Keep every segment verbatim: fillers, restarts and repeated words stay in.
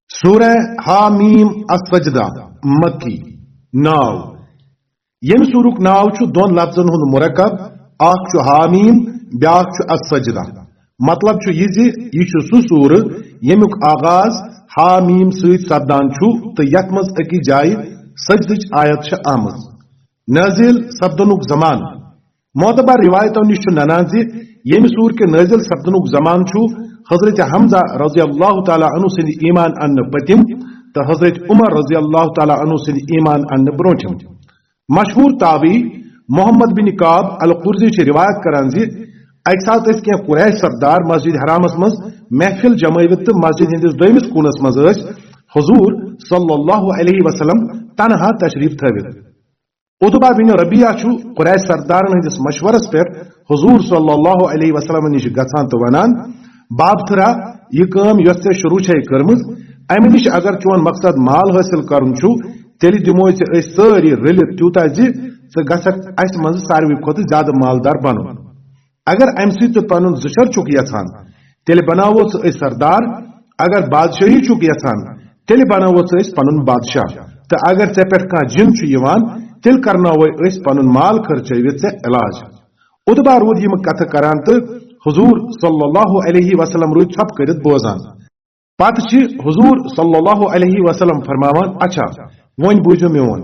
سورہ حامیم السجدہ، مکی۔ ناو، ییٚمہِ سورُک ناو چھُ دۄن لفظن ہُنٛد مرکب، اکھ چھُ حامیم، بیاکھ چھُ السجدہ۔ مطلب چھُ یہِ زِ یہِ چھُ سُہ سورٕ ییٚمیُک آغاز حامیم سۭتۍ سپدان چھُ تہٕ یتھ منٛز أکِس جایہِ سجدٕچ آیت چھِ آمٕژ۔ نازل سپدنُک زمانہٕ، معتبر روایتو نِش چھُ ننان زِ ییٚمہِ سورٕ کہِ نازل سپدنُک زمانہٕ چھُ حضرت حمزہ رضی اللہ تعالیٰ عنہ سٕنٛدِ ایمان اننہٕ پٔتِم تہٕ حضرت عمر رضی اللہ تعالیٰ عنہ سٕنٛدِ ایمان اننہٕ برونٛٹھِم۔ مشہوٗر تابعی محمد بن کعب القرظی چھِ روایت کران زِ اکہِ ساتہٕ ٲسۍ کینٛہہ قریش سردار مسجد حرامس منٛز محفل جمٲوِتھ تہٕ مسجد ہٕنٛدِس دوٚیمِس کوٗنس منٛز ٲسۍ حضور صلی اللہ علیہ وسلم تنہا تشریف تھٲوِتھ۔ عتبہ بن ربیعہ چھُ قریش سردارن ہٕنٛدِس مشورس پٮ۪ٹھ حضور صلی اللہ علیہ وسلم نِش گژھان تہٕ ونان، "بابتھرا، یہِ کٲم یۄس ژےٚ شروع چھے کٔرمٕژ، امہِ نِش اگر چون مقصد مال حٲصِل کرُن چھُ، تیٚلہِ دِموے ژےٚ أسۍ سٲری رٔلِتھ تیوٗتاہ زِ ژٕ گژھکھ اسہِ منٛز ساروٕے کھۄتہٕ زیادٕ مالدار بنُن۔ اگر امہِ سۭتۍ ژٕ پنُن زُشر چھُکھ یژھان، تیٚلہِ بناوو ژٕ أسۍ سردار، اگر بادشٲہی چھُکھ یژھان، تیٚلہِ بناوو ژٕ أسۍ پنُن بادشاہ، تہٕ اگر ژےٚ پٮ۪ٹھ کانٛہہ جِن چھُ یِوان، تیٚلہِ کرناوے أسۍ پنُن مال خرچٲوِتھ ژےٚ علاج۔" عتبہ روٗد یِم کتھٕ کران تہٕ حضور صلی اللہ علیہ وسلم روٗدۍ ژھۄپہٕ کٔرِتھ بوزان۔ پتہٕ چھِ حضور صلی اللہ علیہ وسلم فرماوان، "اچھا، وۄنۍ بوٗزِو میون۔"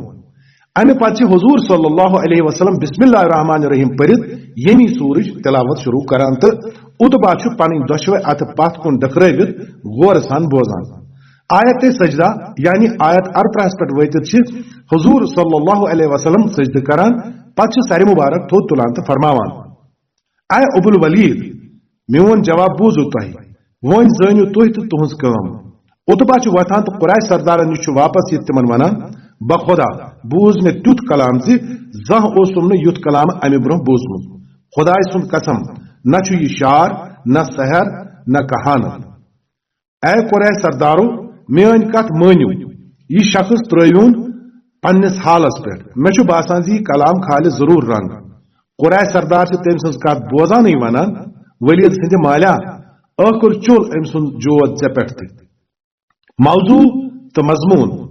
امہِ پتہٕ چھِ حضور صلی اللہ علیہ وسلم بسم اللہ الرحمن الرحیم پٔرِتھ ییٚمی سورٕچ تلاوت شروع کران تہٕ عتبہ چھُ پنٕنۍ دۄشوے اتھٕ پتھ کُن ڈکرٲوِتھ غورٕ سان بوزان۔ آیت سجدہ یعنی آیت ارترہس پٮ۪ٹھ وٲتِتھ چھِ حضور صلی اللہ علیہ وسلم سجدٕ کران، پتہٕ چھِ سرِ مبارک تھوٚد تُلان تہٕ فرماوان، "اے ابو الولید، میون جواب بوٗزِو تۄہہِ، وۄنۍ زٲنِو تُہۍ تہٕ تُہنٛز کٲم۔" عتبہ چھُ وۄتھان تہٕ قریش سردارن نِش چھُ واپس یِتھ تِمن ونان، "بخدا، بوٗز مےٚ تیُتھ کلام زِ زانٛہہ اوسُم نہٕ یُتھ کلام امہِ برونٛہہ بوٗزمُت۔ خدایہِ سُنٛد قسم، نہ چھُ یہِ شعر، نہ سحر، نہ کہانت۔" اے قریش سردارو، میٲنۍ کتھ مٲنِو، یہِ شخص ترٲوِوُن پننِس حالس پٮ۪ٹھ۔ مےٚ چھُ باسان زِ یہِ کلام کھالہِ ضروٗر رنگ۔ قریش سردار چھِ تٔمۍ سٕنٛز کتھ بوزانٕے ونان، "ولید سٕنٛدِ مالیا، ٲخٕر چوٚل أمۍ سُنٛد جود ژےٚ پٮ۪ٹھ تہِ۔" موضوع تہٕ مضموٗن۔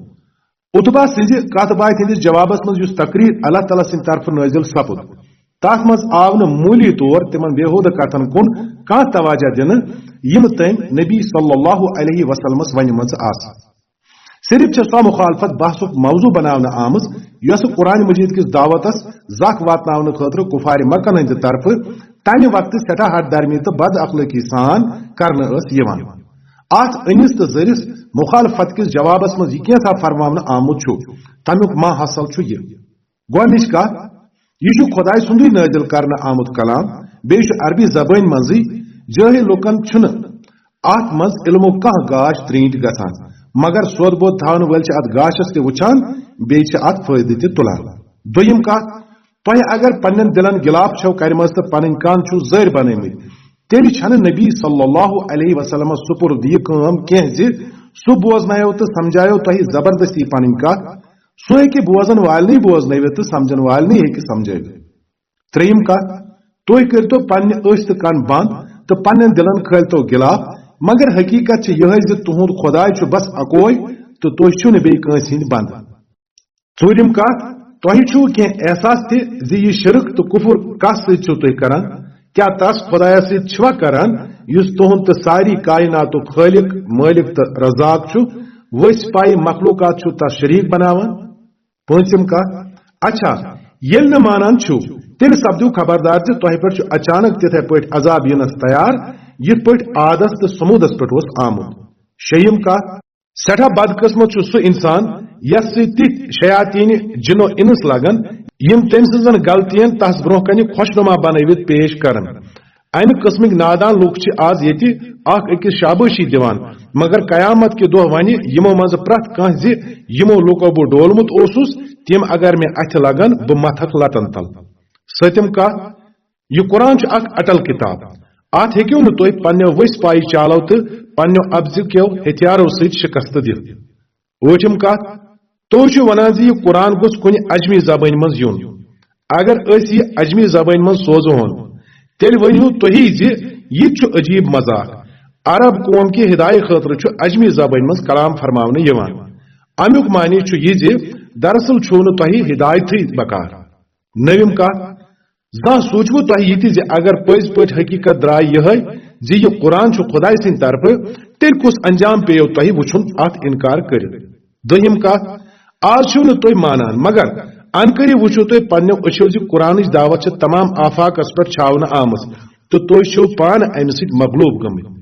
عتبہ سٕنٛزِ کتھ باتھِ ہٕنٛدِس جوابس منٛز یُس تقریر اللہ تعالیٰ سٕنٛدِ طرفہٕ نٲزِل سپُد، تتھ منٛز آو نہٕ موٗلی طور تِمن بیہودٕ کتھن کُن کانٛہہ توجہ دِنہٕ، یِم تٔمۍ نبی صلی اللہ علیہ وسلمس ونِمژٕ آسہٕ۔ صرف چھےٚ سۄ مخالفت بحثُک موضوع بناونہٕ آمٕژ، یۄسہٕ قرآن مجید کِس دعوتس زکھ واتناونہٕ خٲطرٕ کفارِ مکن ہٕنٛدِ طرفہٕ تمہِ وقتہٕ سٮ۪ٹھاہ ہٹ درمی تہٕ بد اخلٲقی سان کرنہٕ ٲس یِوان۔ اتھ أنِس تہٕ زٔرِس مخالفت کِس جوابس منٛز یہِ کینٛژھا فرماونہٕ آمُت چھُ، تمیُک ما حاصل چھُ یہِ۔ گۄڈٕنِچ کتھ، یہِ چھُ خۄداے سُنٛدُے نٲزِل کرنہٕ آمُت کلام، بیٚیہِ چھُ عربی زبٲنۍ منٛزٕے۔ جٲہِل لُکن چھُنہٕ اتھ منٛز علمُک کانٛہہ گاش ترٛینٛٹۍ گژھان، مگر سوٚد بود تھاونہٕ وٲلۍ چھِ اتھ گاشس تہِ وٕچھان، بیٚیہِ چھِ اتھ فٲیدٕ تہِ تُلان۔ دوٚیِم کتھ، تۄہہِ اگر پننٮ۪ن دِلن گِلاف چھَو کرِمژ تہٕ پنٕنۍ کن چھِو زٔرۍ بنٲومٕتۍ، تیٚلہِ چھَنہٕ نبی صلی اللہ علیہ وسلمس سپُرد یہِ کٲم کینٛہہ زِ سُہ بوزنایو تہٕ سمجھایو تۄہہِ زبردستی پنٕنۍ کتھ۔ سُہ ہیٚکہِ بوزن والنٕے بوزنٲوِتھ تہٕ سمجھن والنٕے ہیٚکہِ سمجھٲوِتھ۔ ترٛیٚیِم کتھ، تُہۍ کٔرۍتو پننہِ أچھ تہٕ کن بند تہٕ پننٮ۪ن دِلن کھٲلۍتو گِلاف، مگر حقیقت چھِ یِہے زِ تُہُنٛد خۄداے چھُ بس اکوے تہٕ تُہۍ چھِو نہٕ بیٚیہِ کٲنٛسہِ ہٕنٛدۍ بندٕ۔ ژوٗرِم کتھ، تۄہہِ چھُو کینٛہہ احساس تہِ زِ یہِ شرک تہٕ کفر کس سۭتۍ چھِو تُہۍ کران؟ کیٛاہ تس خۄدایس سۭتۍ چھِوا کران یُس تُہُنٛد تہٕ ساری کائناتُک خٲلق، مٲلِک تہٕ رزاق چھُ؟ ؤسۍ پایہِ مخلوقات چھُو تس شریک بناوان؟ پٲنٛژِم کتھ، اچھا، ییٚلہِ نہٕ مانان چھِو، تیٚلہِ سپدِو خبردار زِ تۄہہِ پٮ۪ٹھ چھُ اچانک تِتھے پٲٹھۍ عذاب یِنس تیار، یِتھ پٲٹھۍ عادس تہٕ ثمودس پٮ۪ٹھ اوس آمُت۔ شیٚیِم کتھ، سٮ۪ٹھاہ بدقسمت چھُ سُہ انسان یس سۭتۍ تِتھۍ شیاطین جن و انس لگن، یِم تٔمۍ سٕنزن غلطین تس برونٛہہ کنہِ خۄشنما بنٲوِتھ پیش کرن۔ امہِ قٕسمٕکۍ نادان لوٗکھ چھِ آز ییٚتہِ اکھ أکِس شابٲشی دِوان، مگر قیامت کہِ دۄہ ونہِ یِمو منٛزٕ پرٛٮ۪تھ کانٛہہ زِ یِمو لوٗکو بہٕ ڈولمُت اوسُس، تِم اگر مےٚ اَتھِ لگن، بہٕ متھکھ لتن تل۔ سٔتِم کتھ، یہِ قرآن چھُ اکھ اٹل کتاب۔ اتھ ہیٚکِو نہٕ تُہۍ پننیو ؤسۍ پایہِ چالو تہٕ پننیو اپزِ کیو ہتھیارو سۭتۍ شکست دِتھ۔ ٲٹھِم کتھ، تُہۍ چھِو ونان زِ یہِ قرآن گوٚژھ کُنہِ عجمی زبٲنۍ منٛز یُن۔ اگر أسۍ یہِ عجمی زبٲنۍ منٛز سوزہون، تیٚلہِ ؤنِو تُہی زِ یہِ تہِ چھُ عجیب مذاق۔ عرب قوم کہِ ہدایت خٲطرٕ چھُ عجمی زبٲنۍ منٛز کلام فرماونہٕ یِوان۔ امیُک معنی چھُ یہِ زِ دراصل چھُو نہٕ تۄہہِ ہدایتٕے بکار۔ نٔوِم کتھ، زانٛہہ سوٗنٛچوٕ تۄہہِ یہِ تہِ زِ اگر پٔزۍ پٲٹھۍ حقیقت درٛاے یِہے زِ یہِ قرآن چھُ خدایہِ سٕنٛدِ طرفہٕ، تیٚلہِ کُس انجام پیٚیو تۄہہِ وُچھُن اتھ انکار کٔرِتھ؟ دوٚیِم کتھ، آز چھِو نہٕ تُہۍ مانان، مگر انقریب وُچھِو تُہۍ پننیو أچھو زِ قرآنٕچ دعوت چھِ تمام آفاقس پٮ۪ٹھ چھاونہٕ آمٕژ تہٕ تُہۍ چھِو پانہٕ امہِ سۭتۍ مغلوب گٔمٕتۍ۔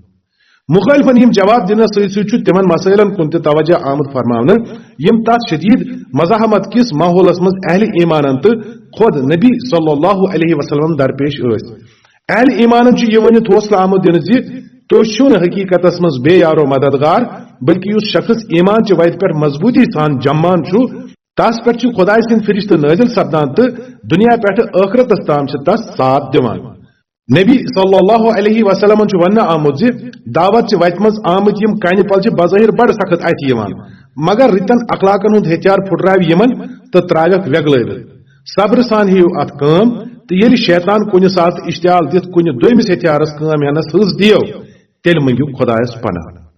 مخٲلفن یِم جواب دِنس سۭتۍ سۭتۍ چھُ تِمن مسائلن کُن تہِ توجہ آمُت فرماونہٕ، یِم تتھ شدید مزاحمت کِس ماحولس منٛز اہل ایمانن تہٕ خود نبی صلی اللہ علیہ وسلم درپیش ٲسۍ۔ اہل ایمانن چھُ یہِ ؤنِتھ حوصلہٕ آمُت دِنہٕ زِ تُہۍ چھِو نہٕ حقیقتس منٛز بے یارو مددگار، بلکہ یُس شخص ایمان چہِ وتہِ پٮ۪ٹھ مضبوٗطی سان جمان چھُ، تس پٮ۪ٹھ چھِ خدایہِ سٕنٛدۍ فرشتہٕ نٲزِل سپدان تہٕ دُنیا پٮ۪ٹھٕ ٲخرتس تام چھِ تس ساتھ دِوان۔ نبی صلی اللہ علیہ وسلمن چھُ وننہٕ آمُت زِ دعوت چہِ وتہِ منٛز آمٕتۍ یِم کنہِ پل چھِ بظٲہر بڑٕ سخت اتھِ یِوان، مگر رٕتٮ۪ن اخلاقن ہُنٛد ہتھیار پھُٹراوِ یِمن تہٕ ترٛاوٮ۪کھ وٮ۪گلٲوِتھ۔ صبرٕ سان ہیٚیِو اتھ کٲم تہٕ ییٚلہِ شیطان کُنہِ ساتہٕ اشتعال دِتھ کُنہِ دوٚیمِس ہتھیارس کٲم ہٮ۪نس حٲص دِیو، تیٚلہِ مٔنگِو خدایس پناہ۔